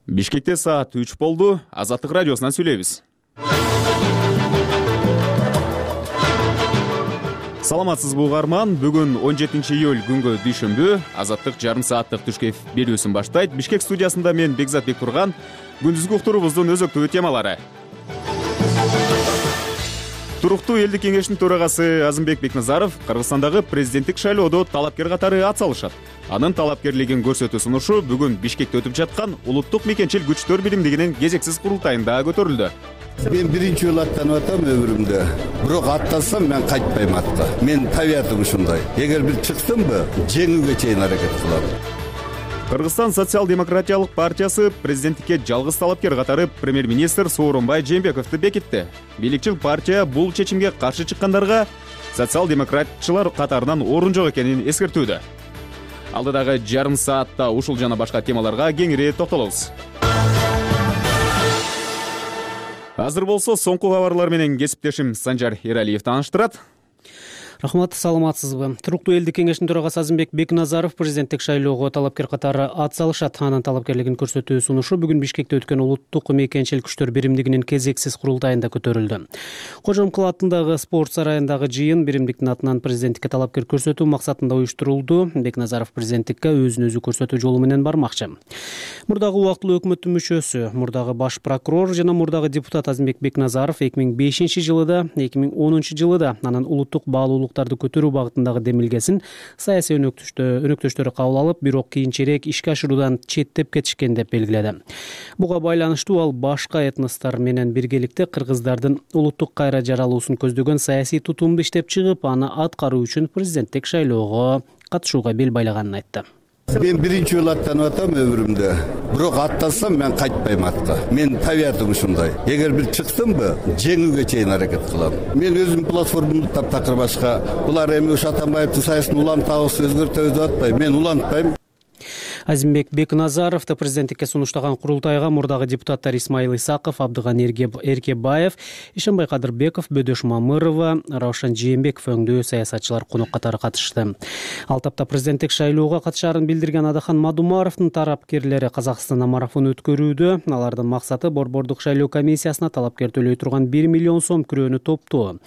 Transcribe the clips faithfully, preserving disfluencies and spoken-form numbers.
Бишкекте саат үч болду. Азаттык радиосунан сүйлөйбүз. Саламатсызбы угарман? Бүгүн он жетинчи июль күнгө дүйшөмбү. Азаттык жарым сааттык түшкө берүүсүн баштайт. Бишкек студиясында мен Бекзат Бектурган. Күндүзгү уктуруубуздун өзөктүү темалары. Туруктуу элдик кеңештин төрагасы Азымбек Бекназаров Кыргызстандагы президенттик шайлоодо талапкер катары ат салышат. Анын талапкерлигин көрсөтүү сунушу бүгүн Бишкекте өтүп жаткан улуттук мекенчил күчтөр биримдигинин кезексиз курултайында көтөрүлдү. Мен биринчи жолу аттанып атам өмүрүмдө. Бирок аттансам мен кайтпайм атка. Мен табиятым ушундай. Эгер бир чыксамбы, жеңүүгө чейин аракет кылам. Кыргызстан социал-демократиялык партиясы президенттикке жалгыз талапкер катары премьер-министр Сооронбай Жээнбековду бекитти. Бийликчил партия бул чечимге каршы чыккандарга социал-демократчылар катарынан орун жок экенин эскертүүдө. Алдыдагы жарым саатта ушул жана башка темаларга кеңири токтолобуз. Азыр болсо соңку кабарлар менен кесиптешим Санжар Эралиев тааныштырат. Рахмат, саламатсызбы? Туруктуу элдик кеңештин төрагасы Азымбек Бекназаров президенттик шайлоого талапкер катары ат салышат. Анын талапкерлигин көрсөтүү сунушу бүгүн Бишкекте өткөн улуттук мекенчил күчтөр биримдигинин кезексиз курултайында көтөрүлдү. Кожомкул атындагы спорт сарайындагы жыйын биримдиктин атынан президенттикке талапкер көрсөтүү максатында уюштурулду. Бекназаров президенттикке өзүн өзү көрсөтүү жолу менен бармакчы. Мурдагы убактылуу өкмөттүн мүчөсү, мурдагы баш прокурор жана мурдагы депутат Азымбек Бекназаров эки миң бешинчи жылыда, эки миң онунчу жылыда анын улуттук баалуулуктарды көтөрүү багытындагы демилгесин саясий өнөктөштөрү кабыл алып, бирок кийинчерээк ишке ашыруудан четтеп кетишкен деп белгиледи. Буга байланыштуу ал башка этностор менен биргеликте кыргыздардын улуттук кайра жаралуусун көздөгөн саясий тутумду иштеп чыгып, аны аткаруу үчүн президенттик шайлоого катышууга бел байлаганын айтты. Мен биринчи жолу аттанып атам өмүрүмдө. Бирок аттансам мен кайтпайм атка. Мен табиятым ушундай. Эгер бир чыксамбы, жеңүүгө чейин аракет кылам. Мен өзүм платформамды таптакыр башка. Булар эми ушу Атамбаевдин саясатын улантабыз, өзгөртөбүз деп атпайм. Мен улантпайм. Азимбек Бекназаров да президенттикке сунуштаган курултайга мурдагы депутаттар Исмаил Исаков, Абдыган Эркебаев, Ишенбай Кадырбеков, Бөдөш Мамырова, Раушан Жээнбеков өңдүү саясатчылар конок катары катышты. Ал тапта президенттик шайлоого катышаарын билдирген Адахан Мадумаровдун тарапкерлери Казакстанда марафон өткөрүүдө. Алардын максаты борбордук шайлоо комиссиясына талапкер төлөй турган бир миллион сом күрөөнү топтоо.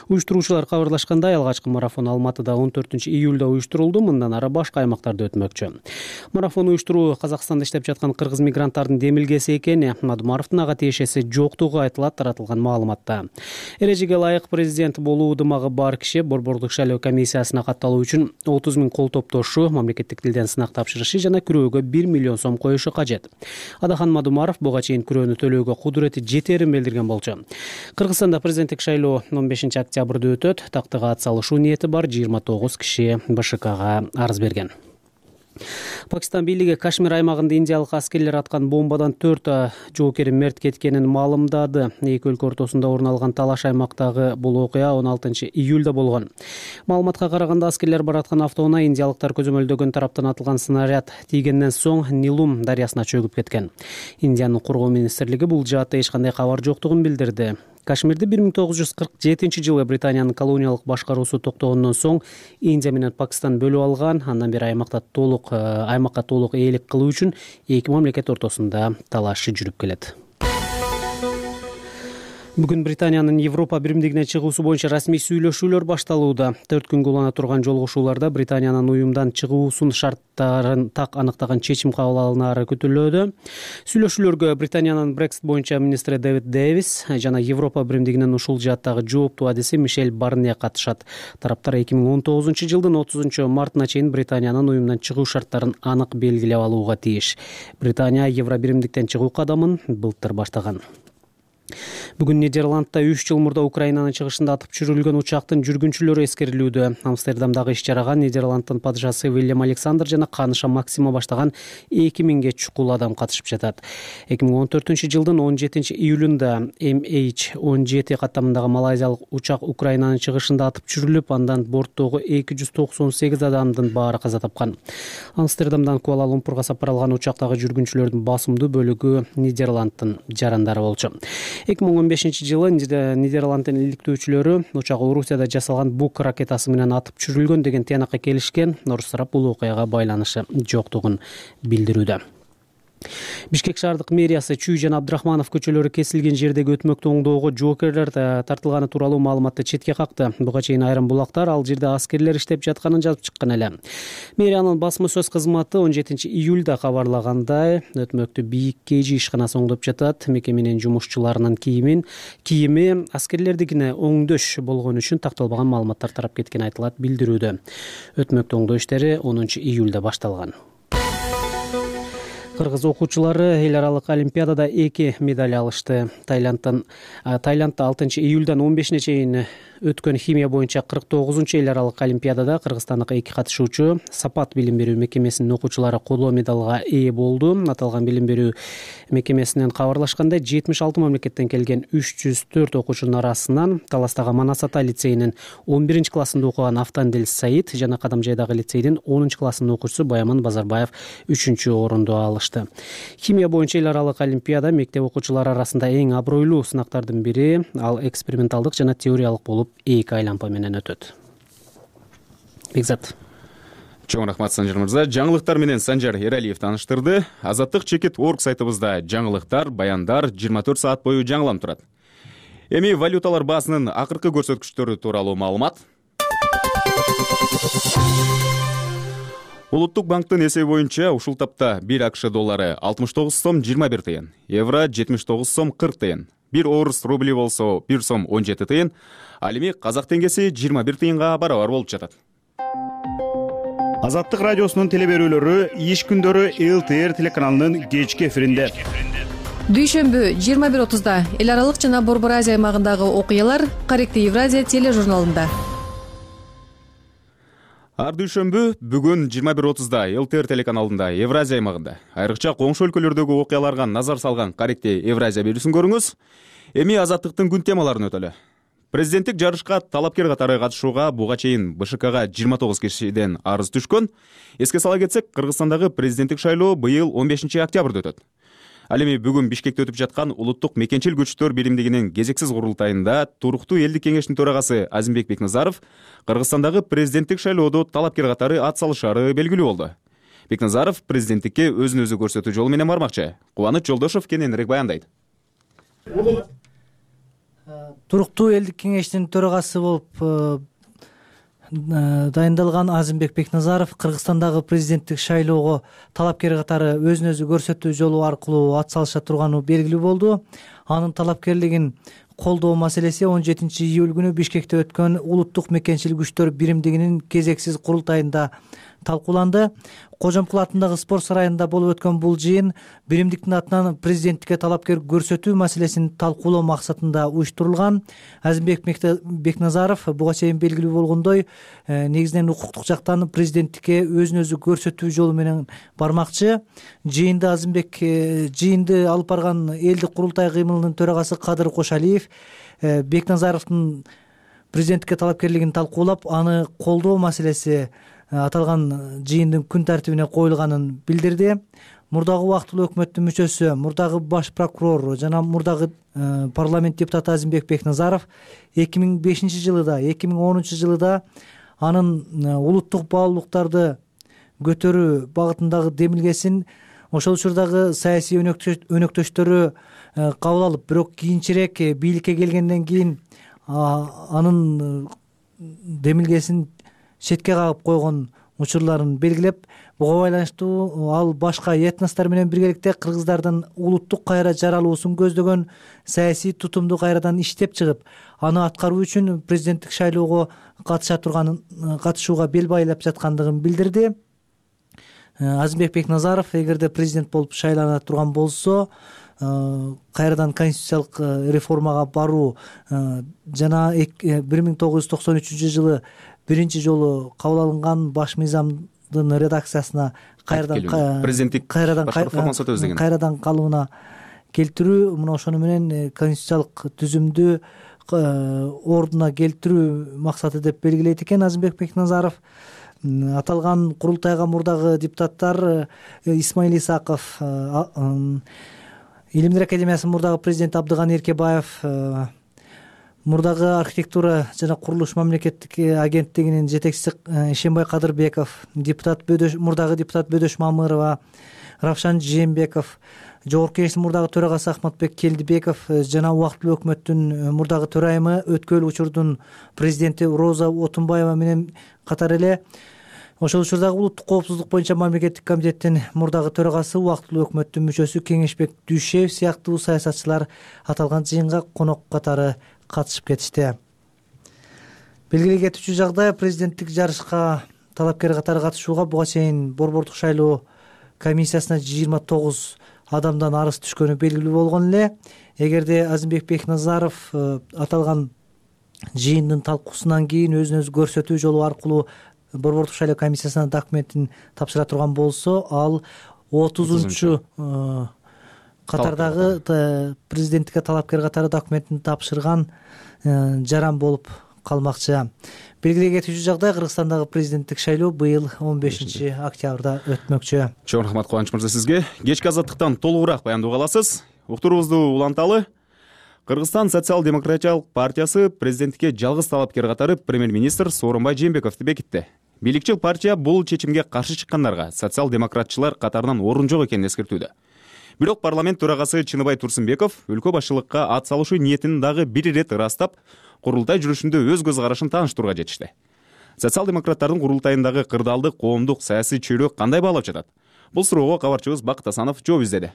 Уюштуруучулар кабарлашкандай, алгачкы марафон Алматыда он төртүнчү июлда уюштурулду, мындан ары башка аймактарда өтмөкчү. Марафон уюштуруу Казакстанда иштеп жаткан кыргыз мигранттардын демилгеси экени Мадумаровдун ага тиешеси жоктугу айтылат таратылган маалыматта. Эрежеге ылайык президент болуу дымагы бар киши борбордук шайлоо комиссиясына катталуу үчүн отуз миң кол топтошу, мамлекеттик тилден сынак тапшырышы жана күрөөгө бир миллион сом коюшу кажет. Адахан Мадумаров буга чейин күрөөнү төлөөгө кудурети жетерин билдирген болчу. Кыргызстанда президенттик шайлоо он бешинчи октябрда өтөт. Тактыга ат салышуу ниети бар жыйырма тогуз киши БШКга арыз берген. Пакистан бийлиги Кашмир аймагында индиялык аскерлер аткан бомбадан төрт жоокери мерт кеткенин маалымдады. Эки өлкө ортосунда орун алган талаш аймактагы бул окуя он алтынчы июлда болгон. Маалыматка караганда аскерлер бараткан автоунаа индиялыктар көзөмөлдөгөн тараптан атылган снаряд тийгенден соң Нилум дарыясына чөгүп кеткен. Индиянын коргоо министрлиги бул жаатта эч кандай кабар жоктугун билдирди. Кашмирди бир миң тогуз жүз кырк жетинчи жылы Британиянын колониялык башкаруусу токтогондон соң Индия менен Пакистан бөлүп алган. Андан бери аймакта толук аймакка толук ээлик кылуу үчүн эки мамлекет ортосунда талаш жүрүп келет. Бүгүн Британиянын Европа биримдигинен чыгуусу боюнча расмий сүйлөшүүлөр башталууда. төрт күнгө улана турган жолугушууларда Британиянын уюмдан чыгуусун шарттарын так аныктаган чечим кабыл алынары күтүлүүдө. Сүйлөшүүлөргө Британиянын Brexit боюнча министри Дэвид Дэвис жана Европа биримдигинин ушул жааттагы жооптуу адиси Мишель Барне катышат. Тараптар эки миң он тогузунчу жылдын отузунчу мартына чейин Британиянын уюмдан чыгуу шарттарын анык белгилеп алууга тийиш. Британия Евро биримдиктен чыгуу кадамын былтыр баштаган. Бүгүн Нидерландта үч жыл мурда Украинанын чыгышында атып түшүрүлгөн учактын жүргүнчүлөрү эскерилүүдө. Амстердамдагы иш-чарага Нидерланддын падышасы Вильям Александр жана каныша Максима баштаган эки миңге чукул адам катышып жатат. эки миң он төртүнчү жылдын он жетинчи июлунда эм эйч он жети каттамындагы малайзиялык учак Украинанын чыгышында атып түшүрүлүп, андан борттогу эки жүз токсон сегиз адамдын баары каза тапкан. Амстердамдан Куала-Лумпурга сапар алган учактагы жүргүнчүлөрдүн басымдуу бөлүгү Нидерланддын жарандары болчу. эки миң он бешинчи жылы Нидерланддын иликтөөчүлөрү учак Орусияда жасалган Бук ракетасы менен атып түшүрүлгөн деген тыянакка келишкен. Орус тарап бул окуяга байланышы жоктугун билдирүүдө. Бишкек шаардык мэриясы Чүй жана Абдрахманов көчөлөрү кесилген жердеги өтмөктү оңдоого жоокерлер тартылганы тууралуу маалыматты четке какты. Буга чейин айрым булактар ал жерде аскерлер иштеп жатканын жазып чыккан эле. Мэриянын басма сөз кызматы он жетинчи июлда кабарлагандай, өтмөктү Бийик Кейжи ишканасы оңдоп жатат. Мекеменин жумушчуларынын кийимин кийими аскерлердикине оңдөш болгону үчүн такталбаган маалыматтар тарап кеткени айтылат билдирүүдө. Өтмөктү оңдоо иштери онунчу июлда башталган. Кыргыз окуучулары эл аралык олимпиадада эки медаль алышты. Таиландтан Таиландда алтынчы июлдан он бешине чейин өткөн химия боюнча кырк тогузунчу эл аралык олимпиадада кыргызстандык эки катышуучу Сапат билим берүү мекемесинин окуучулары коло медалга ээ болду. Аталган билим берүү мекемесинен кабарлашкандай, жетимиш алты мамлекеттен келген үч жүз төрт окуучунун арасынан Таластагы Манас Ата лицейинин он биринчи классында окуган Автандел Саид жана Кадамжайдагы лицейдин онунчу классынын окуучусу Баяман Базарбаев үчүнчү орунду алышты. Химия боюнча эл аралык олимпиада мектеп окуучулары арасында эң абройлуу сынактардын бири. Ал эксперименталдык жана теориялык болуп эки айлампа менен өтөт. Бекзат. Чоң рахмат Санжар мырза. Жаңылыктар менен Санжар Эралиев тааныштырды. Азаттык чекит точка орг сайтыбызда жаңылыктар, баяндар жыйырма төрт саат бою жаңыланып турат. Эми валюталар баасынын акыркы көрсөткүчтөрү тууралуу маалымат. Улуттук банктын эсеби боюнча ушул тапта бир АКШ доллары алтымыш тогуз сом жыйырма бир тыйын, евро жетимиш тогуз сом кырк тыйын, бир орус рубли болсо бир сом он жети тыйын, ал эми казак теңгеси жыйырма бир тыйынга барабар болуп жатат. Азаттык радиосунун теле берүүлөрү иш күндөрү эл тэ эр телеканалынын кечки эфиринде. Дүйшөмбү жыйырма бир отузда эл аралык жана Борбор Азия аймагындагы окуялар Корректив Евразия тележурналында. Ар дүйшөмбү бүгүн жыйырма бир отузда эл тэ эр телеканалында Евразия аймагында айрыкча коңшу өлкөлөрдөгү окуяларга назар салган Корректив Евразия берүүсүн көрүңүз. Эми азаттыктын күн темаларын өтөлү. Президенттик жарышка талапкер катары катышууга буга чейин бэ ш кга жыйырма тогуз кишиден арыз түшкөн. Эске сала кетсек, Кыргызстандагы президенттик шайлоо быйыл он бешинчи октябрда өтөт. Ал эми бүгүн Бишкекте өтүп жаткан улуттук мекенчил күчтөр биримдигинин кезексиз курултайында туруктуу элдик кеңештин төрагасы Азимбек Бекназаров Кыргызстандагы президенттик шайлоодо талапкер катары ат салышары белгилүү болду. Бекназаров президенттикке өзүн өзү көрсөтүү жолу менен бармакчы. Кубаныч Жолдошов кененирээк баяндайт. Туруктуу элдик кеңештин төрагасы болуп дайындалган Азимбек Бекназаров Кыргызстандагы президенттик шайлоого талапкер катары өзүн өзү көрсөтүү жолу аркылуу ат салыша турганы белгилүү болду. Анын талапкерлигин колдоо маселеси он жетинчи июль күнү Бишкекте өткөн улуттук мекенчил күчтөр биримдигинин кезексиз курултайында талкууланды. Кожомкул атындагы спорт сарайында болуп өткөн бул жыйын биримдиктин атынан президенттикке талапкер көрсөтүү маселесин талкуулоо максатында уюштурулган. Азимбек Бекназаров буга чейин белгилүү болгондой, негизинен укуктук жактан президенттикке өзүн өзү көрсөтүү жолу менен бармакчы. Жыйынды Азимбек жыйынды алып барган элдик курултай кыймылынын төрагасы Кадыр Кошалиев Бекназаровдун президенттикке талапкерлигин талкуулап, аны колдоо маселеси аталган жыйындын күн тартибине коюлганын билдирди. Мурдагы убактылуу өкмөттүн мүчөсү, мурдагы баш прокурор жана мурдагы парламент депутаты Азимбек Бекназаров эки миң бешинчи жылыда, эки миң онунчу жылыда анын улуттук баалуулуктарды көтөрүү багытындагы демилгесин ошол учурдагы саясий өнөктөштөрү кабыл алып, бирок кийинчерээк бийликке келгенден кийин анын демилгесин четке кагып койгон учурларын белгилеп, буга байланыштуу ал башка этностор менен биргеликте кыргыздардын улуттук кайра жаралуусун көздөгөн саясий тутумду кайрадан иштеп чыгып, аны аткаруу үчүн президенттик шайлоого катыша турганын, катышууга бел байлап жаткандыгын билдирди. Азимбек Бекназаров эгерде президент болуп шайлана турган болсо, кайрадан конституциялык реформага баруу жана бир миң тогуз жүз токсон үчүнчү жылы биринчи жолу кабыл алынган баш мыйзамдын редакциясына кайрадан президенттик кайрадан калыбына келтирүү, мына ошону менен конституциялык түзүмдү ордуна келтирүү максаты деп белгилейт экен Азимбек Бекназаров. Аталган курултайга мурдагы депутаттар Исмаил Исаков, Илимдер академиясынын мурдагы президенти Абдыган Эркебаев, мурдагы архитектура жана курулуш мамлекеттик агенттигинин жетекчиси Ишенбай Кадырбеков, депутат Бөдөш мурдагы депутат Бөдөш Мамырова, Равшан Жээнбеков, Жогорку Кеңештин мурдагы төрагасы Ахматбек Келдибеков жана убактылуу өкмөттүн мурдагы төрайымы, өткөл учурдун президенти Роза Отунбаева менен катар эле ошол учурдагы улуттук коопсуздук боюнча мамлекеттик комитеттин мурдагы төрагасы, убактылуу өкмөттүн мүчөсү Кеңешбек Дүйшеев сыяктуу саясатчылар аталган жыйынга конок катары катышып кетишти. Белгилей кетүүчү жагдай, президенттик жарышка талапкер катары катышууга буга чейин борбордук шайлоо комиссиясына жыйырма тогуз адамдан арыз түшкөнү белгилүү болгон эле. Эгерде Азимбек Бекназаров аталган жыйындын талкуусунан кийин өзүн өзү көрсөтүү жолу аркылуу борбордук шайлоо комиссиясына документин тапшыра турган болсо, ал отузунчу катардагы президенттикке талапкер катары документин тапшырган жаран болуп калмакчы. Белгилей кетүүчү жагдай, Кыргызстандагы президенттик шайлоо быйыл он бешинчи октябрда өтмөкчү. Чоң рахмат Кубаныч мырза сизге. Кечки азаттыктан толугураак баяндоо аласыз. Уктуруубузду уланталы. Кыргызстан социал-демократиялык партиясы президенттикке жалгыз талапкер катары премьер-министр Сооронбай Жээнбековду бекитти. Бийликчил партия бул чечимге каршы чыккандарга социал-демократчылар катарынан орун жок экенин эскертүүдө. Бирок парламент төрагасы Чыныбай Турсунбеков өлкө башчылыкка ат салышуу ниетин дагы бир ирет ырастап, курултай жүрүшүндө өз көз карашын тааныштырууга жетишти. Социал-демократтардын курултайындагы кырдаалдык коомдук саясий чөйрө кандай баалап жатат? Бул суроого кабарчыбыз Бакыт Асанов жооп издеди.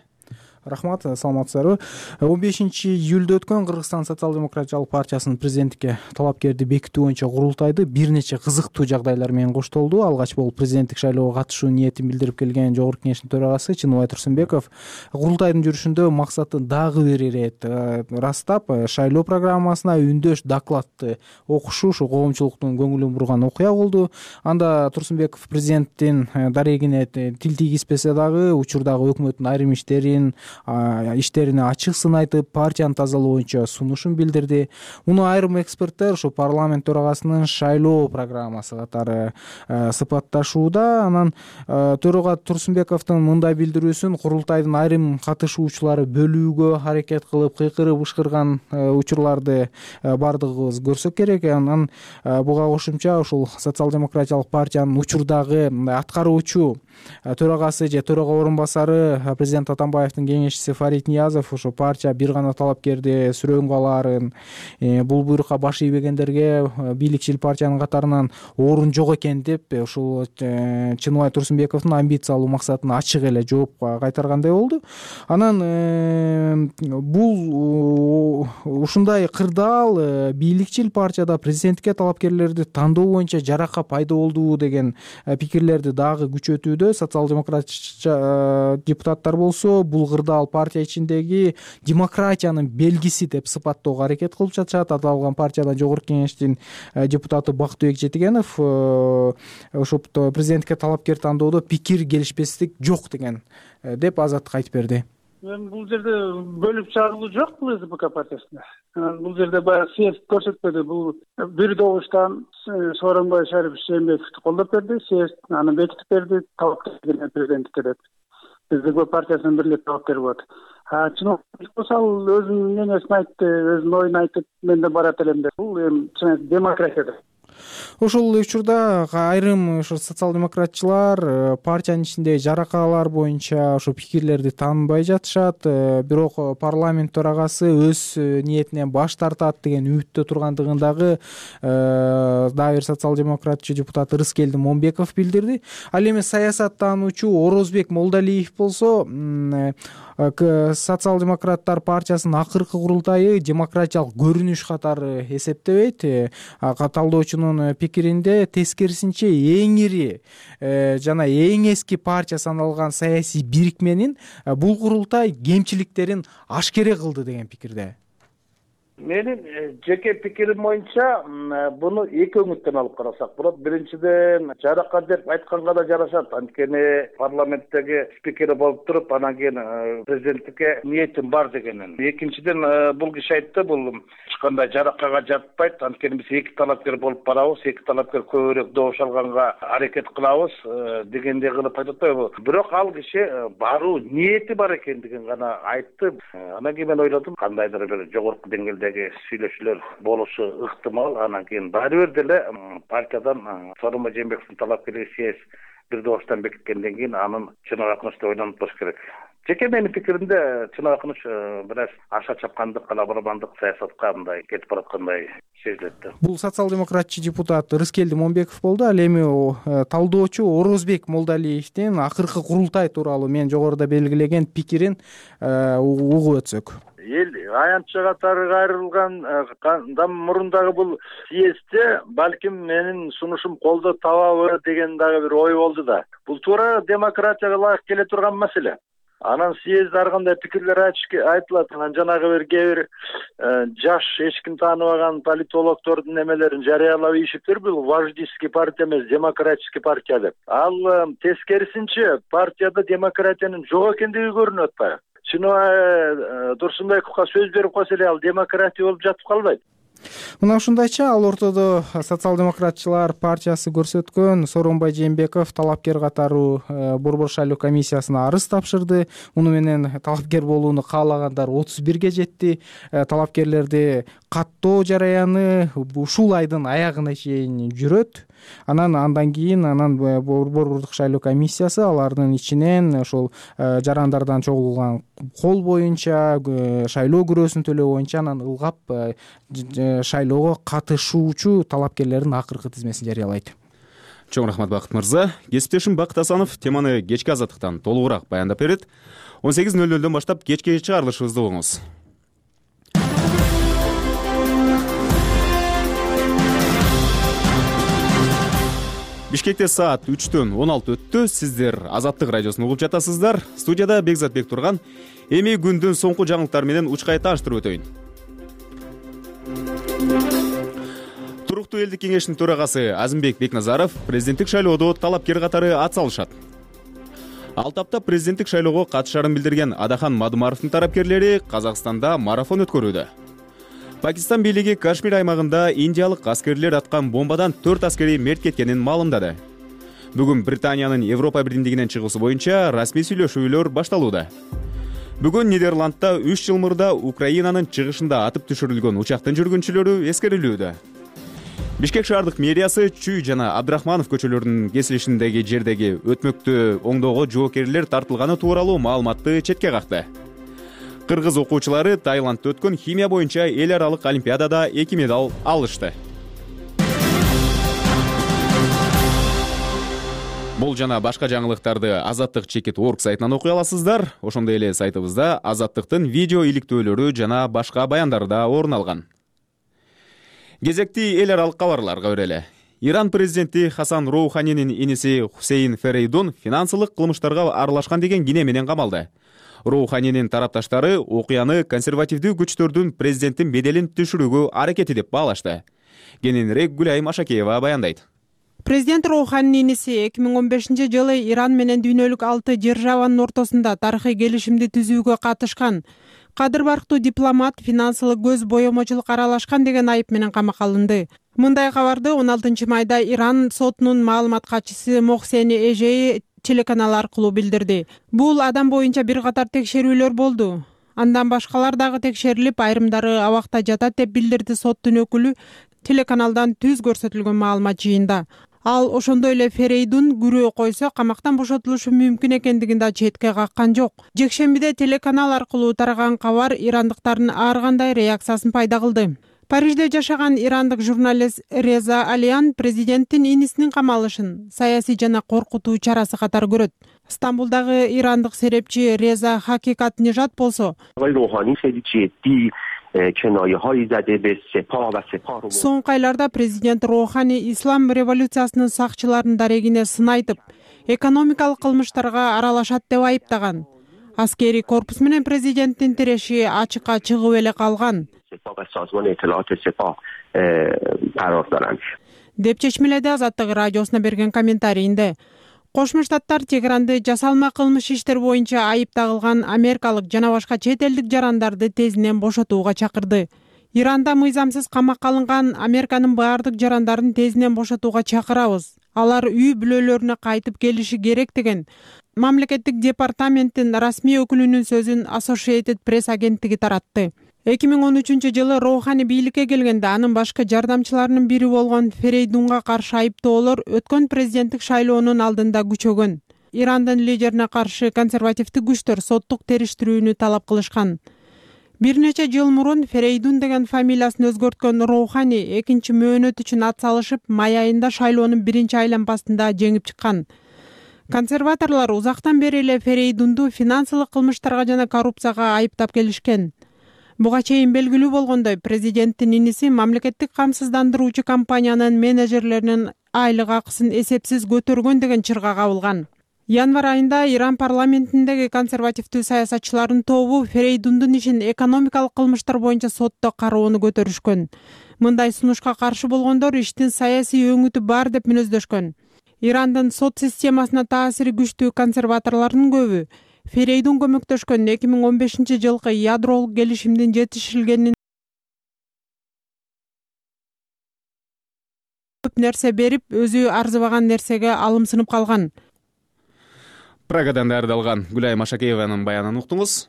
Рахмат, саламатсыздарбы. он бешинчи июлда өткөн Кыргызстан социал-демократиялык партиясынын президенттикке талапкерди бекитүү боюнча курултайды бир нече кызыктуу жагдайлар менен коштолду. Алгач болуп президенттик шайлоого катышуу ниетин билдирип келген Жогорку Кеңештин төрагасы Чыныбай Турсунбеков курултайдын жүрүшүндө максатын дагы бир ирет ырастап, шайлоо программасына үндөш докладты окушу ушу коомчулуктун көңүлүн бурган окуя болду. Анда Турсунбеков президенттин дарегине тил тийгизбесе дагы учурдагы өкмөттүн айрым иштерин иштерине ачык сын айтып, партияны тазалоо боюнча сунушун билдирди. Муну айрым эксперттер ушу парламент төрагасынын шайлоо программасы катары сыпатташууда. Анан төрага Турсунбековдун мындай билдирүүсүн курултайдын айрым катышуучулары бөлүүгө аракет кылып, кыйкырып ышкырган учурларды бардыгыбыз көрсөк керек. Анан буга кошумча ушул социал-демократиялык партиянын учурдагы аткаруучу төрагасы же төрага орун басары президент Атамбаевдин кеңешчиси Фарид Ниязов ушу партия бир гана талапкерди сүрөнгө алаарын, бул буйрукка баш ийбегендерге бийликчил партиянын катарынан орун жок экен деп ушул Чыныбай Турсунбековдун амбициялуу максатын ачык эле жооп кайтаргандай болду. Анан бул ушундай кырдаал бийликчил партияда президенттикке талапкерлерди тандоо боюнча жарака пайда болду деген пикирлерди дагы күчөтүүдө. Социал-демократ депутаттар болсо бул кырдаал партия ичиндеги демократиянын белгиси деп сыпаттоого аракет кылып жатышат. Аталган партиядан Жогорку Кеңештин депутаты Бактыбек Жетигенов ошо президенттикке талапкер тандоодо пикир келишпестик жок деген деп азаттыкка айтып берди. Мен бул жерде бөлүп чагылуу жок бул СДПК партиясында. Бул жерде баягы съезд көрсөтпөдү. Бул бир добуштан Сооронбай Жээнбековду колдоп берди, съезд аны бекитип берди, талапкер президенттикке деп. СДПК партиясынын бирлик талапкери болот. А чиновник болсо ал өзүнүн мнениясын айтты, өзүнүн оюн айтып, мен да барат элем деп. Бул эми чын демократия. Ошол учурда айрым ошо социал-демократчылар партиянын ичиндеги жаракалар боюнча ошо пикирлерди таанбай жатышат. Бирок парламент төрагасы өз ниетинен баш тартат деген үмүттө тургандыгын дагы дагы бир социал-демократчы депутат Рыскелди Момбеков билдирди. Ал эми саясаттануучу Орозбек Молдалиев болсо социал-демократтар партиясынын акыркы курултайы демократиялык көрүнүш катары эсептебейт. Талдоочунун пикиринде тескерисинче эң ири жана эң эски партия саналган саясий бирикменин бул курултай кемчиликтерин ашкере кылды деген пикирде. Менин жеке пикирим боюнча буну эки өңүттөн алып карасак болот. Биринчиден жарака деп айтканга да жарашат. Анткени парламенттеги спикери болуп туруп, анан кийин президенттикке ниетим бар дегенин. Экинчиден бул киши айтты, бул эч кандай жаракага жатпайт. Анткени биз эки талапкер болуп барабыз, эки талапкер көбүрөөк добуш алганга аракет кылабыз дегендей кылып айтып атпайбы. Бирок ал киши баруу ниети бар экендигин гана айтты. Анан кийин мен ойлодум, кандайдыр бир жогорку деңгээлде чегиндеги сүйлөшүүлөр болушу ыктымал. Анан кийин баары бир деле партиядан Сооронбай Жээнбековдун талапкерлиги съезд бир добуштан бекиткенден кийин анын чын акынычты ойлонуп коюш керек. Жеке менин пикиримде чын акыныч бир аз аша чапкандык, калабармандык саясатка мындай кетип бараткандай сезилет. Бул социал-демократчы депутат Рыскелди Момбеков болду. Ал эми талдоочу Орозбек Молдалиевдин акыркы курултай тууралуу мен жогоруда белгилеген пикирин угуп өтсөк. Эл аянтчы катары кайрылгандан мурун дагы бул съездде балким менин сунушум колдоо табабы деген дагы бир ой болду да. Бул туура демократияга ылайык келе турган маселе. Анан съездде ар кандай пикирлер айтылат. Анан жанагы бир кээ бир жаш эч ким тааныбаган политологдордун немелерин жарыялап ийишиптир. Бул вождистский партия эмес, демократический партия деп. Ал тескерисинче партияда демократиянын жок экендиги көрүнүп атпайбы? Чыныбай Турсунбековго сөз берип койсо эле ал демократия болуп жатып калбайт. Мына ушундайча ал ортодо социал-демократчылар партиясы көрсөткөн Сооронбай Жээнбеков талапкер катары Борбор шайлоо комиссиясына арыз тапшырды. Муну менен талапкер болууну каалагандар отуз бирге жетти. Талапкерлерди каттоо жараяны ушул айдын аягына чейин жүрөт. Анан андан кийин анан Борбордук шайлоо комиссиясы алардын ичинен ошол жарандардан чогулган кол боюнча шайлоо күрөөсүн төлөө боюнча анан ылгап шайлоого катышуучу талапкерлердин акыркы тизмесин жарыялайт. Чоң рахмат Бакыт мырза. Кесиптешим Бакыт Асанов теманы кечки азаттыктан толугураак баяндап берет. он сегиз нөл нөлдөн баштап кечки чыгарылышыбызды угуңуз. Бишкекте саат үчтөн он алты өттү. Сиздер Азаттык радиосун угуп жатасыздар. Студияда Бекзатбек турган. Эми күндүн соңку жаңылыктары менен учкай тааштырып өтөйүн. Туруктуу элдик кеңештин төрагасы Азимбек Бекназаров президенттик шайлоодо талапкер катары ат салышат. Ал тапта президенттик шайлоого катышарын билдирген Адахан Мадумаровдун тарапкерлери Казакстанда марафон өткөрүүдө. Пакистан бийлиги Кашмир аймагында индиялык аскерлер аткан бомбадан төрт аскери мерт кеткенин маалымдады. Бүгүн Британиянын Европа биримдигинен чыгуусу боюнча расмий сүйлөшүүлөр башталууда. Бүгүн Нидерландта үч жыл мурда Украинанын чыгышында атып түшүрүлгөн учактын жүргүнчүлөрү эскерилүүдө. Бишкек шаардык мэриясы Чүй жана Абдрахманов көчөлөрүнүн кесилишиндеги жердеги өтмөктү оңдоого жоокерлер тартылганы тууралуу маалыматты четке какты. Кыргыз окуучулары Таиландда өткөн химия боюнча эл аралык олимпиадада эки медаль алышты. Бул жана башка жаңылыктарды Азаттык чекит точка орг сайтынан окуй аласыздар. Ошондой эле сайтыбызда Азаттыктын видео иликтөөлөрү жана башка баяндары да орун алган. Кезекти эл аралык кабарларга өреле. Иран президенти Хасан Роуханинин иниси Хусейн Ферейдун финансылык кылмыштарга аралашкан деген кине менен камалды. Роуханинин тарапташтары окуяны консервативдүү күчтөрдүн президенттин беделин түшүрүүгө аракети деп баалашты. Кененирээк Гүлайым Ашакеева баяндайт. Президент Роуханинин иниси эки миң он бешинчи жылы Иран менен дүйнөлүк алты державанын ортосунда тарыхый келишимди түзүүгө катышкан. Кадыр барктуу дипломат финансылык көз боемочулук аралашкан деген айып менен камакка алынды. Мындай кабарды он алтынчы майда Иран сотунун маалымат катчысы Мохсени Эжеи телеканал аркылуу билдирди. Бул адам боюнча бир катар текшерүүлөр болду. Андан башкалар дагы текшерилип, айрымдары абакта жатат деп билдирди соттун өкүлү телеканалдан түз көрсөтүлгөн маалымат жыйында. Ал ошондой эле Ферейдун күрөө койсо камактан бошотулушу мүмкүн экендигин да четке каккан жок. Жекшембиде телеканал аркылуу тараган кабар ирандыктардын ар кандай реакциясын пайда кылды. Парижде жашаган ирандык журналист Реза Алиян президенттин инисинин камалышын саясий жана коркутуу чарасы катары көрөт. Стамбулдагы ирандык серепчи Реза Хакикат Нижат болсо соңку айларда президент Роухани ислам революциясынын сакчыларынын дарегине сын айтып, экономикалык кылмыштарга аралашат деп айыптаган. Аскери корпус менен президенттин тиреши ачыкка чыгып эле калган деп чечмеледи Азаттык радиосуна берген комментарийинде. Кошмо Штаттар Тегеранды жасалма кылмыш иштер боюнча айып тагылган америкалык жана башка чет элдик жарандарды тезинен бошотууга чакырды. Иранда мыйзамсыз камакка алынган Американын баардык жарандарын тезинен бошотууга чакырабыз. Алар үй бүлөлөрүнө кайтып келиши керек деген мамлекеттик департаменттин расмий өкүлүнүн сөзүн Associated Press агенттиги таратты. эки миң он үчүнчү жылы Роухани бийликке келгенде анын башкы жардамчыларынын бири болгон Ферейдунга каршы айыптоолор өткөн президенттик шайлоонун алдында күчөгөн. Ирандын лидерине каршы консервативдик күчтөр соттук териштирүүнү талап кылышкан. Бир нече жыл мурун Ферейдун деген фамилиясын өзгөрткөн Роухани экинчи мөөнөт үчүн ат салышып, май айында шайлоонун биринчи айланпасында жеңип чыккан. Консерваторлор узактан бери эле Ферейдунду финансылык кылмыштарга жана коррупцияга айыптап келишкен. Буга чейин белгилүү болгондой, президенттин иниси мамлекеттик камсыздандыруучу компаниянын менеджерлеринин айлык акысын эсепсиз көтөргөн деген чырга кабылган. Январь айында Иран парламентиндеги консервативдүү саясатчылардын тобу Ферейдундун ишин экономикалык кылмыштар боюнча сотто кароону көтөрүшкөн. Мындай сунушка каршы болгондор иштин саясий өңүтү бар деп мүнөздөшкөн. Ирандын сот системасына таасири күчтүү консерваторлордун көбү Ферейдун көмөктөшкөн эки миң он бешинчи жылкы ядролук келишимдин жетишилгенин көп нерсе берип, өзү арзыбаган нерсеге алымсынып калган. Прагадан даярдалган Гүлай Машакееванын баянын уктуңуз.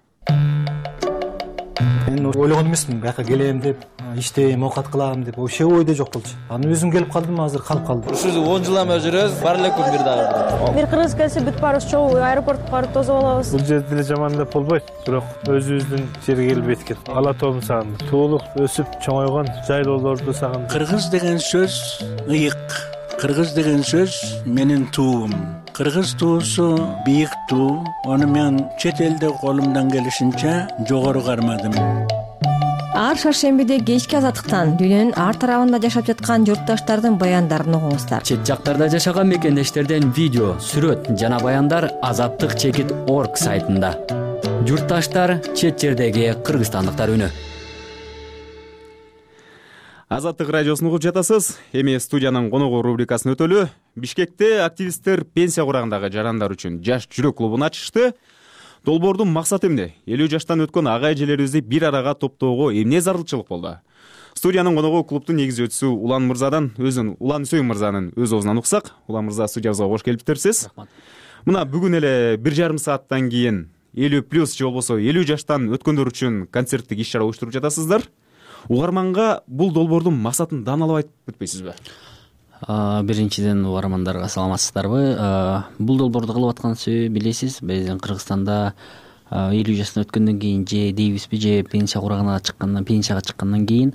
Мен ойлогон эмесмин, бияка келем деп, иштейм, оокат кылам деп, вообще ойдо жок болчу. Анан өзүм келип калдым, азыр калып калдым. Ушул он жылдан бери жүрөбүз, бар эле күн бир дагы. Бир кыргыз келсе бүт баарыбыз чогуу аэропортко барып тосуп алабыз. Бул жерде деле жаман деп болбойт, бирок өзүбүздүн жерге келип жеткен. Ала тоомду сагындым. Туулук өсүп чоңойгон жайлоолорду сагындым. Кыргыз деген сөз ыйык. Кыргыз деген сөз менин туум. Кыргыз туусу бийик туу. Аны мен чет элде колумдан келишинче жогору кармадым. Ар шаршембиде кечки азаттыктан дүйнөнүн ар тарабында жашап жаткан журтташтардын баяндарын угуңуздар. Чет жактарда жашаган мекендештерден видео, сүрөт жана баяндар азаттык чекит орг сайтында. Журтташтар, чет жердеги кыргызстандыктар үнү. Азаттык радиосун угуп жатасыз. Эми студиянын коногу рубрикасын өтөлү. Бишкекте активисттер пенсия курагындагы жарандар үчүн жаш жүрөк клубун ачышты. Долбоордун максаты эмне? элүү жаштан өткөн ага эжелерибизди бир арага топтоого эмне зарылчылык болду? Студиянын коногу клубтун негизчиси Улан мырзадан өзүн Улан Үсөйүн мырзанын өз оозунан уксак. Улан мырза, студиябызга кош келиптирсиз. Мына бүгүн эле бир жарым сааттан кийин элүү плюс же болбосо элүү жаштан өткөндөр үчүн концерттик иш чара уюштуруп жатасыздар. Угарманга бул долбоордун максатын дааналап айтып өтпөйсүзбү? Биринчиден угармандарга саламатсыздарбы? Бул долбоорду кылып аткан себеби билесиз, биздин Кыргызстанда элүү жаштан өткөндөн кийин же дейбизби, же пенсия курагына чыккандан, пенсияга чыккандан кийин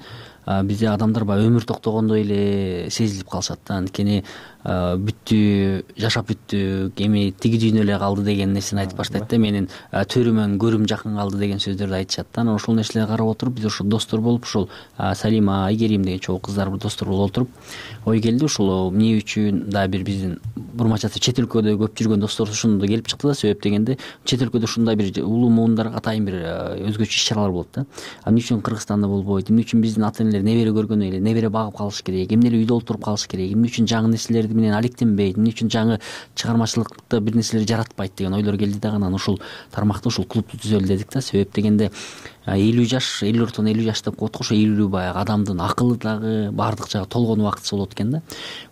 бизде адамдар баягы өмүр токтогондой эле сезилип калышат да. Анткени бүттү, жашап бүттү, эми тиги дүйнө эле калды деген нерсени айтып баштайт да. Менин төрүмөн, көрүм жакын калды деген сөздөрдү айтышат да. Анан ошол нерселерди карап отуруп, биз ошол достор болуп, ошол Салима, Айгерим деген чогуу кыздар бир достор болуп отуруп, ой келди, ушул эмне үчүн да бир биздин бурмачасы чет өлкөдө көп жүргөн достор ушундо келип чыкты да. Себеп дегенде чет өлкөдө ушундай бир улуу муундарга атайын бир өзгөчө иш чаралар болот да. Эмне үчүн Кыргызстанда болбойт? Эмне үчүн биздин ата энелер небере көргөндөй эле небере багып калыш керек? Эмне эле үйдө олтуруп калыш керек? Эмне үчүн жаңы нерселерди менен алектенбейт? Эмне үчүн жаңы чыгармачылыкта бир нерселер жаратпайт деген ойлор келди да. Анан ушул тармакта ушул клубду түзөлү дедик да. Себеп дегенде элүү жаш, элүү ортон элүү жаш деп коет го. Ошо элүү баягы адамдын акылы дагы баардык жагы толгон убактысы болот экен да.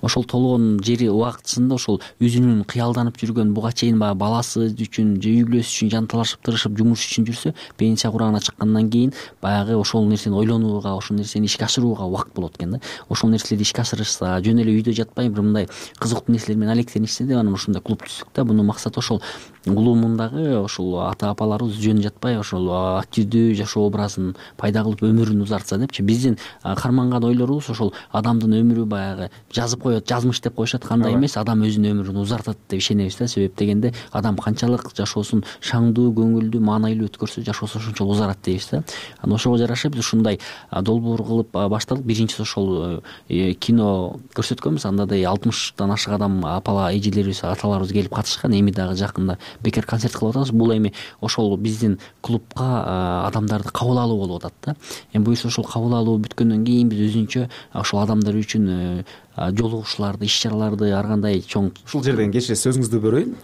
Ошол толгон жери убактысында ошол өзүнүн кыялданып жүргөн, буга чейин баягы баласы үчүн же үй бүлөсү үчүн жанталашып тырышып жумуш үчүн жүрсө, пенсия курагына чыккандан кийин баягы ошол нерсени ойлонууга, ошол нерсени ишке ашырууга убакыт болот экен да. Ошол нерселерди ишке ашырышса, жөн эле үйдө жатпай бир мындай кызыктуу нерселер менен алектенишсе деп анан ушундай клуб түздүк да. Мунун максаты ошол улуу мундагы ошол ата апаларыбыз жөн жатпай ошол активдүү жашоо образын пайда кылып өмүрүн узартса депчи. Биздин карманган ойлорубуз ошол адамдын өмүрү баягы жазып коет, жазмыш деп коюшат, кандай эмес, адам өзүнүн өмүрүн узартат деп ишенебиз да. Себеп дегенде адам канчалык жашоосун шаңдуу, көңүлдүү, маанайлуу өткөрсө, жашоосу ошончо узарат дейбиз да. Анан ошого жараша биз ушундай долбоор кылып баштадык. Биринчиси ошол кино көрсөткөнбүз. Андайдай алтымыштан ашык адам, апала эжелерибиз, аталарыбыз келип катышкан. Эми дагы жакында бекер концерт кылып атабыз. Бул эми ошол биздин клубка адамдарды кабыл алуу болуп атат да. Эми буюрса ошол кабыл алуу бүткөндөн кийин биз өзүнчө ошол адамдар үчүн жолугушууларды, иш чараларды ар кандай чоң. Ушул жерден кечиресиз, сөзүңүздү бөлөйүн.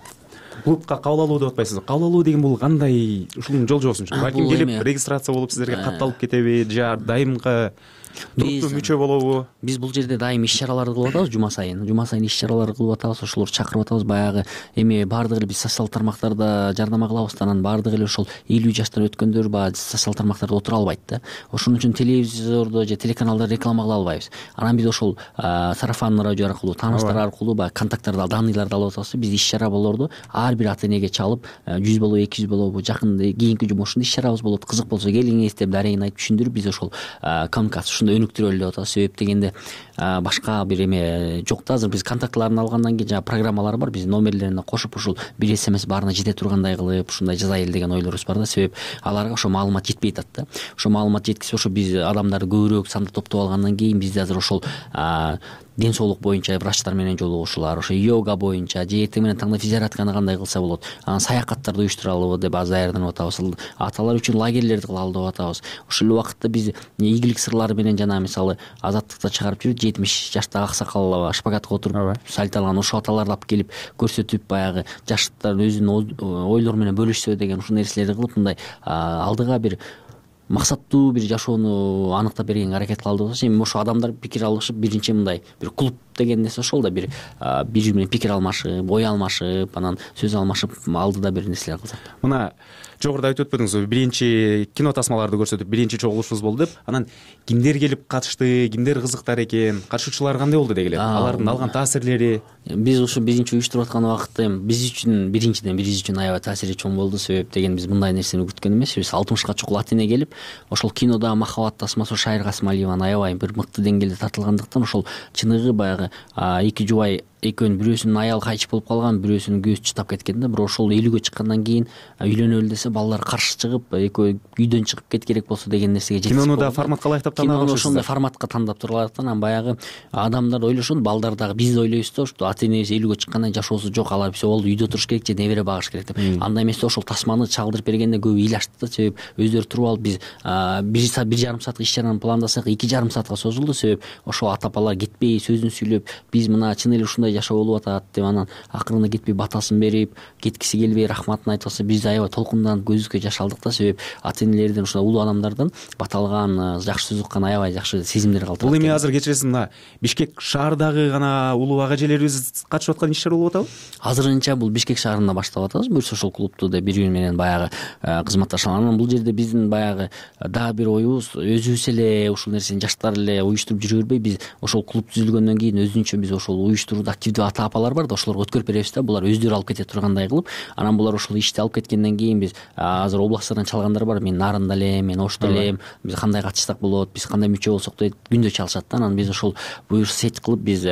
Клубка кабыл алуу деп атпайсыз. Кабыл алуу деген бул кандай? Ушунун жол жобосун. Балким келип регистрация болуп сиздерге кат алып кетеби, же дайымкы туруктуу мүчө болобу? Биз бул жерде дайым иш чараларды кылып атабыз, жума сайын жума сайын иш чараларды кылып атабыз, ошолорду чакырып атабыз. Баягы эми баардыгы эле биз социалдык тармактарда жардама кылабыз да, анан баардыгы эле ошол элүү жаштан өткөндөр баягы социалдык тармактарда отура албайт да. Ошон үчүн телевизордо же телеканалда реклама кыла албайбыз. Анан биз ошол сарафанный радио аркылуу, тааныштар аркылуу баягы контакттарды, данныйларды алып атабыз. Биз иш чара болорду ар бир ата энеге чалып, жүз болобу, эки жүз болобу, жакын кийинки жумушунда иш чарабыз болот. Кызык болсо келиңиз деп дарегин айтып түшүндүрүп, биз ошол коммуникация ушундай өнүктүрөлү деп атабыз. Себеп дегенде башка бир эме жок да. Азыр биз контактларын алгандан кийин жана программалар бар, биздин номерлерине кошуп ушул бир смс баарына жете тургандай кылып ушундай жазайлы деген ойлорубуз бар да. Себеп аларга ошо маалымат жетпей атат да. Ошо маалымат жеткизип, ошо биз адамдарды көбүрөөк санда топтоп алгандан кийин бизде азыр ошол ден соолук боюнча врачтар менен жолугушуулар, ошо йога боюнча же эртең менен таңда физиологияны кандай кылса болот, анан саякаттарды уюштуралыбы деп азыр даярданып атабыз. Аталар үчүн лагерлерди кылалы деп атабыз. Ошол эле убакытта биз ийгилик сырлары менен жана мисалы Азаттыкта чыгарып жүрүп, жетимиш жаштагы аксакал шпагатка отуруп сальталган ошо аталарды алып келип көрсөтүп, баягы жаштар өзүнүн ойлору менен бөлүшсө деген ушул нерселерди кылып, мындай алдыга бир максаттуу бир жашоону аныктап бергенге аракет кылалы деп. Эми ошо адамдар пикир алышып, биринчи мындай бир клуб деген нерсе ошол да, бир бири бири менен пикир алмашып, ой алмашып, анан сөз алмашып алдыда бир нерселер кылсак. Мына жогоруда айтып өтпөдүңүзбү, биринчи кино тасмаларды көрсөтүп биринчи чогулушубуз болду деп. Анан кимдер келип катышты, кимдер кызыктар экен, катышуучулар кандай болду дегиле, алардын алган таасирлери? Биз ушу биринчи уюштуруп аткан убакытта эми биз үчүн биринчиден биз үчүн аябай таасири чоң болду. Себеп деген биз мындай нерсени күткөн эмес. Биз алтымышка чукул ата эне келип, ошол кинодагы махабат тасмасы Шайыр Касымалиеванын аябай бир мыкты деңгээлде тартылгандыктан, ошол чыныгы баягы эки жубай экөөнүн бирөөсүнүн аялы кайчып болуп калган, бирөөсүнүн көзү чытап кеткен да. Бирок ошол элүүгө чыккандан кийин үйлөнөлү десе, балдар каршы чыгып, экөө үйдөн чыгып кет керек болсо деген нерсеге жетип. Кинону да форматка ылайыктап тандап алышсыздар. Ошондой форматка тандап тургандыктан анан баягы адамдар ойлошот, балдар дагы биз ойлойбуз да, ошо ата энебиз элүүгө чыккандан чашоосу жок, алар все болду, үйдө туруш керек же небере багыш керек деп. Андай эмес да, ошол тасманы чалдырып бергенде көбү ыйлашты да. Себеп өздөрү туруп алып, биз бир бир жарым саатка иш чараны пландасак, эки жарым саатка созулду. Себеп ошол ата апалар кетпей сөзүн сүйлөп, биз мына чын эле ушундай жашоо болуп атат деп, анан акырында кетпей батасын берип, кеткиси келбей рахматын айтып атса, биз аябай толкунданып көзүккө жаш алдык да. Себеп ата энелерден, ушундай улуу адамдардан баталган, жакшы сөз уккан аябай жакшы сезимдер калтырат. Бул эми азыр кечиресиз, мына Бишкек шаарындагы гана улуу ага эжелерибиз катышып аткан иш чара болуп атабы? Азырынча бул Бишкек шаарында баштап атабыз. Буюрса ошол клубту деп бири бири менен баягы кызматташалар. Анан бул жерде биздин баягы дагы бир оюбуз, өзүбүз эле ушул нерсени жаштар эле уюштуруп жүрө бербей, биз ошол клуб түзүлгөндөн кийин өзүнчө биз ошол уюштурууда активдүү ата апалар бар да, ошолорго өткөрүп беребиз да. Булар өздөрү алып кете тургандай кылып, анан булар ошол ишти алып кеткенден кийин биз азыр областтардан чалгандар бар. Мен Нарында элем, мен Ошто элем, биз кандай катышсак болот, биз кандай мүчө болсок дейт, күндө чалышат да. Анан биз ошол буюрса сет кылып, биз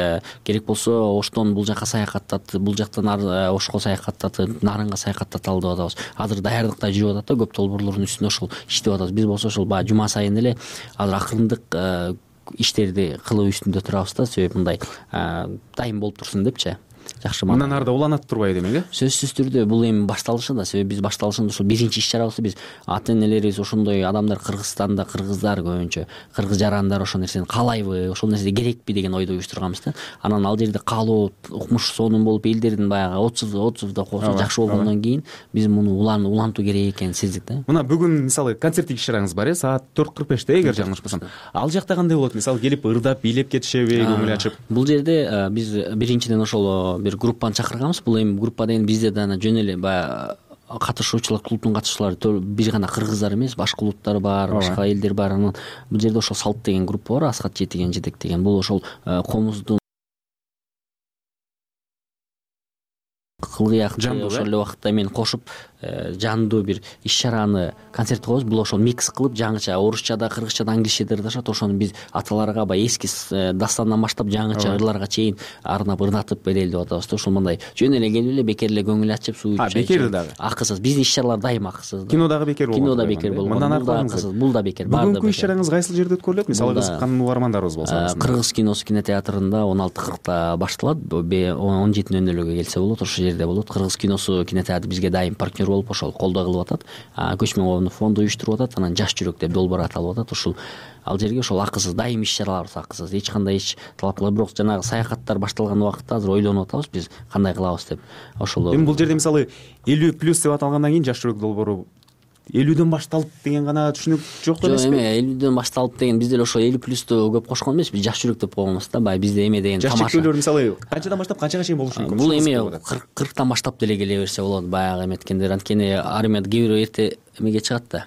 керек болсо Оштон бул жака саякаттатып, бул жактан Ошко саякаттатып, Нарынга саякаттаталы деп атабыз. Азыр даярдыкта жүрүп атат да, көп долбоорлордун үстүндө ошол иштеп атабыз. Биз болсо ошол баягы жума сайын эле азыр акырындык иштерди кылуу үстүндө турабыз да. Себеп мындай дайым болуп турсун депчи. Жакшы. Мындан арда уланат турбайбы демек, э? Сөзсүз түрдө бул эми башталышы да. Себеп биз башталышында ошол биринчи иш чарабызды биз ата энелерибиз, ошондой адамдар Кыргызстанда, кыргыздар көбүнчө, кыргыз жарандар ошол нерсени каалайбы, ошол нерсе керекпи деген ойдо уюштурганбыз да. Анан ал жерде каалоо, укмуш сонун болуп, элдердин баягы отзыв отзывда жакшы болгондон кийин биз муну улантуу керек экенин сездик да. Мына бүгүн мисалы концерттик иш чараңыз бар, э? Саат төрт кырк беште, эгер жаңылышпасам. Ал жакта кандай болот? Мисалы келип ырдап, бийлеп кетишеби, көңүл ачып? Бул жерде биз биринчиден ошол бир группаны чакырганбыз. Бул эми группа деген бизде да жөн эле баягы катышуучулар, клубтун катышуучулары бир гана кыргыздар эмес, башка улуттар бар, башка элдер бар. Анан бул жерде ошол Салт деген группа бар, Аскат жетеген жетек деген. Бул ошол комуздун кылгыякты ошол эле убакытта мен кошуп жандуу бир иш чараны, концерт коебуз. Бул ошол микс кылып жаңыча орусчада, кыргызчада, англисчеде ырдашат. Ошону биз аталарга баягы эски дастандан баштап жаңыча ырларга чейин арнап ырдатып берели деп атабыз да. Ошол мындай жөн эле келип эле бекер эле көңүл ачып, суу ичип. А, бекер дагы. Акысыз. Биздин иш чаралар дайыма акысыз. Кино дагы бекер болгон. Кино да бекер болгон. Бул да акысыз, бул да бекер. Бүгүнкү иш чараңыз кайсыл жерде өткөрүлөт? Мисалы кызыккан угармандарыбыз болсо. Кыргыз киносу кинотеатрында он алты кыркта башталат. он жети нөл нөлгө келсе болот, ошол жерде болот. Кыргыз киносу кинотеатры бизге дайым партнер болуп, ошол колдоо кылып атат. Көчмөн коомдун фонду уюштуруп атат. Анан Жаш жүрөк деп долбоор аталып атат. Ушул ал жерге ошол акысыз, дайым иш чараларыбыз акысыз. Эч кандай ич талап кылбайт. Бирок жанагы саякаттар башталган убакытта азыр ойлонуп атабыз биз кандай кылабыз деп. Ошол эми бул жерде мисалы элүү плюс деп аталгандан кийин Жаш жүрөк долбоору элүүдөн башталып деген гана түшүнүк жок жок эмеспи? эме элүүдөн башталып деген бизде эле ошо элүү плюсту көп кошкон эмеспи, жаш жүрөк деп койгонбуз да. Баягы бизде эме деген жаш тамаша. чектөөлөр мисалы канчадан баштап канчага чейин болушу мүмкүн? Бул эме кырктан баштап деле келе берсе болот, баягы эметкендер. Анткени армияда кээ бирөө эрте эмеге чыгат да.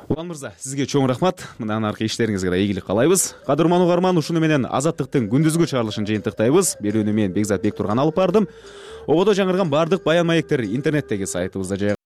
Улан мырза, сизге чоң рахмат. Мындан аркы иштериңизге да ийгилик каалайбыз. Кадырман угарман, ушуну менен Азаттыктын күндүзгү чыгарылышын жыйынтыктайбыз. Берүүнү мен Бекзат Бектурган алып бардым. Ободо жаңырган бардык баян маектер интернеттеги сайтыбызда